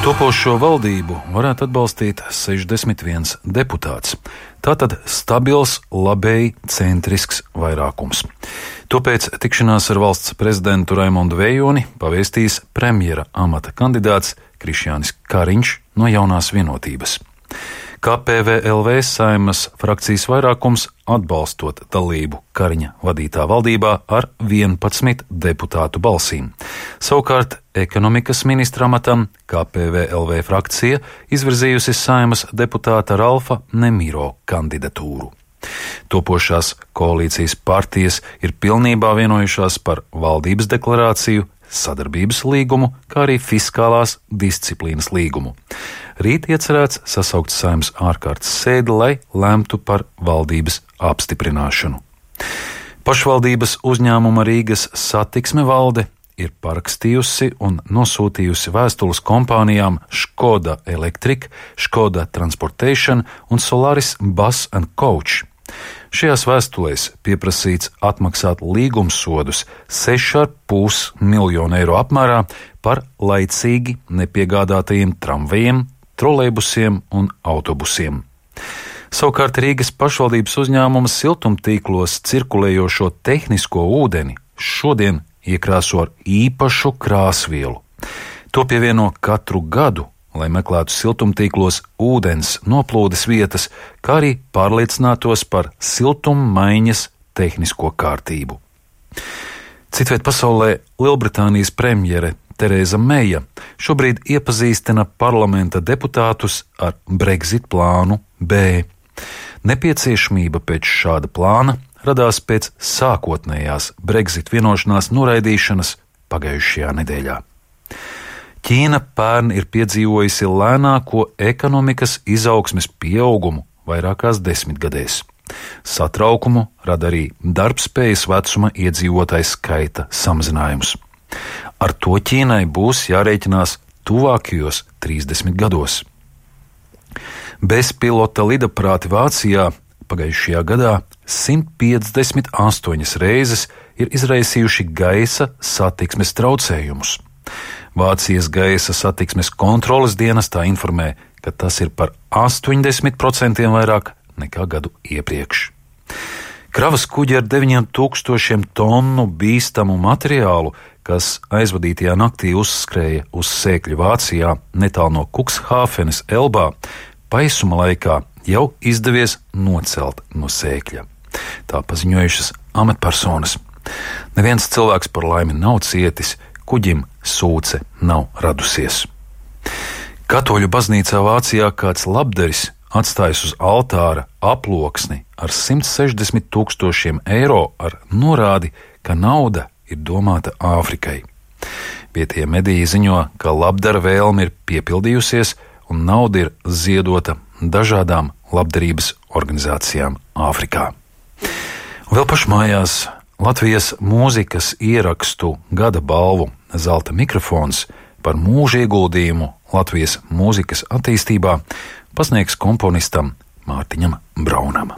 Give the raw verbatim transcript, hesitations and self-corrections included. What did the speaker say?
Topošo valdību varētu atbalstīt sešdesmit viens deputāts. Tātad stabils, labēji centrisks vairākums. Topēc tikšanās ar valsts prezidentu Raimondu Vējoni pavēstīs premjera amata kandidāts Krišjānis Kariņš no Jaunās vienotības. K P V L V Saeimas frakcijas vairākums atbalstot dalību Kariņa vadītā valdībā ar vienpadsmit deputātu balsīm. Savukārt ekonomikas ministra amatam K P V L V frakcija izvirzījusi Saeimas deputāta Ralfa Nemiro kandidatūru. Topošās koalīcijas partijas ir pilnībā vienojušās par valdības deklarāciju, sadarbības līgumu, kā arī fiskālās disciplīnas līgumu. Rīt iecerēts sasaukt Saeimas ārkārtas sēdi, lai lemtu par valdības apstiprināšanu. Pašvaldības uzņēmuma Rīgas satiksme valde ir parakstījusi un nosūtījusi vēstules kompānijām Škoda Electric, Škoda Transportation un Solaris Bus and Coach. Šajās vēstulēs pieprasīts atmaksāt līgumsodus seši ar pus miljonu eiro apmērā par laicīgi nepiegādātajiem tramvajiem, trolejbusiem un autobusiem. Savukārt Rīgas pašvaldības uzņēmuma siltumtīklos cirkulējošo tehnisko ūdeni šodien iekrāso ar īpašu krāsvielu. To pievieno katru gadu, lai meklētu siltumtīklos ūdens noplūdes vietas, kā arī pārliecinātos par siltummaiņas tehnisko kārtību. Citviet pasaulē Lielbritānijas premjere Tereza Meija šobrīd iepazīstina parlamenta deputātus ar Brexit plānu B. Nepieciešamība pēc šāda plāna radās pēc sākotnējās Brexit vienošanās noraidīšanas pagājušajā nedēļā. Ķīna pērn ir piedzīvojusi lēnāko ekonomikas izaugsmes pieaugumu vairākās desmitgadēs. Satraukumu rada arī darbspējas vecuma iedzīvotājs skaita samazinājums. Ar to Ķīnai būs jārēķinās tuvākajos trīsdesmit gados. Bezpilota lidaprāti Vācijā pagājušajā gadā simt piecdesmit astoņas reizes ir izraisījuši gaisa satiksmes traucējumus. Vācijas gaisa satiksmes kontroles dienestā informē, ka tas ir par astoņdesmit procentiem vairāk nekā gadu iepriekš. Kravas kuģi ar deviņiem tūkstošiem tonu bīstamu materiālu, kas aizvadītajā naktī uzskrēja uz sēkļu Vācijā netālu no Kukshāfenes Elbā, paisuma laikā jau izdevies nocelt no sēkļa. Tā paziņojušas amatpersonas. Neviens cilvēks par laimi nav cietis, kuģim sūce nav radusies. Katoļu baznīcā Vācijā kāds labdaris atstājis uz altāra aploksni ar simt sešdesmit tūkstošiem eiro ar norādi, ka nauda ir domāta Āfrikai. Vietējie mediji ziņo, ka labdara vēlme ir piepildījusies un nauda ir ziedota dažādām labdarības organizācijām Āfrikā. Vēl pašmājās Latvijas mūzikas ierakstu gada balvu Zelta mikrofons par mūža ieguldījumu Latvijas mūzikas attīstībā pasniegs komponistam Mārtiņam Braunam.